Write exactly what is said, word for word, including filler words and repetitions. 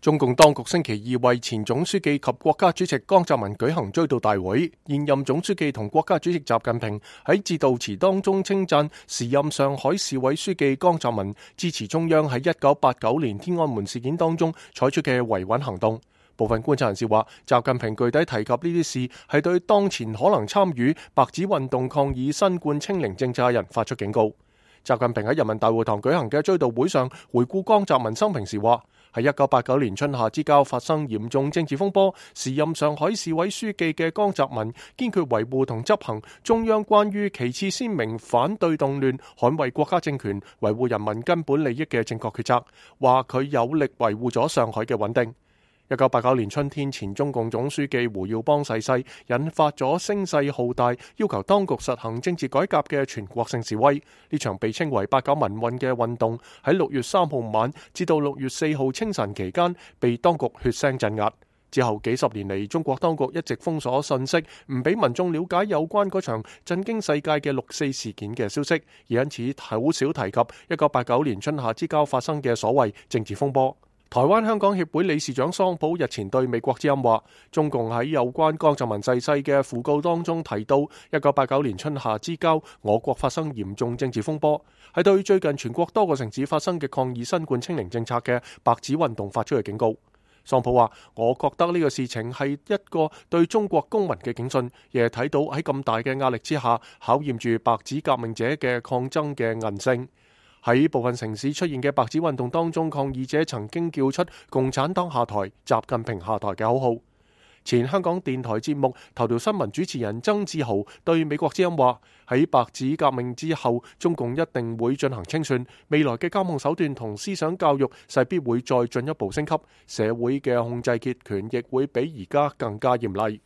中共當局星期二為前總書記及國家主席江澤民舉行追悼大會。現任總書記同國家主席習近平喺致悼詞當中稱讚時任上海市委書記江澤民支持中央喺一九八九年天安門事件當中採取嘅維穩行動。部分觀察人士話，習近平具體提及呢啲事係對當前可能參與白紙運動抗議新冠清零政策嘅人發出警告。習近平喺人民大會堂舉行嘅追悼會上回顧江澤民生平時話，喺一九八九年春夏之交發生嚴重政治風波，時任上海市委書記嘅江澤民堅決維護同執行中央關於旗幟鮮明反對動亂、捍衛國家政權、維護人民根本利益嘅正確決策，話佢有力維護咗上海嘅穩定。一九八九年春天，前中共總書記胡耀邦逝世，引發咗聲勢浩大，要求當局實行政治改革嘅全國性示威。呢場被稱為八九民運嘅運動，喺六月三號晚至到六月四號清晨期間，被當局血腥鎮壓。之後幾十年嚟，中國當局一直封鎖信息，唔俾民眾了解有關嗰場震驚世界嘅六四事件嘅消息，而因此好少提及一九八九年春夏之交發生嘅所謂政治風波。台灣香港協會理事長桑普日前對美國之音話，中共喺有關江澤民逝世嘅訃告當中提到，一九八九年春夏之交，我國發生嚴重政治風波，係對最近全國多個城市發生嘅抗議新冠清零政策嘅白紙運動發出嘅警告。桑普話，我覺得呢個事情係一個對中國公民嘅警訊，亦係睇到喺咁大嘅壓力之下，考驗住白紙革命者嘅抗爭嘅韌性。喺部分城市出現嘅白紙運動當中，抗議者曾經叫出共產黨下台、習近平下台嘅口號。前香港電台節目頭條新聞主持人曾志豪對美國之音話，喺白紙革命之後，中共一定會進行清算，未來嘅監控手段同思想教育勢必會再進一步升級，社會嘅控制結權亦會比而家更加嚴厲。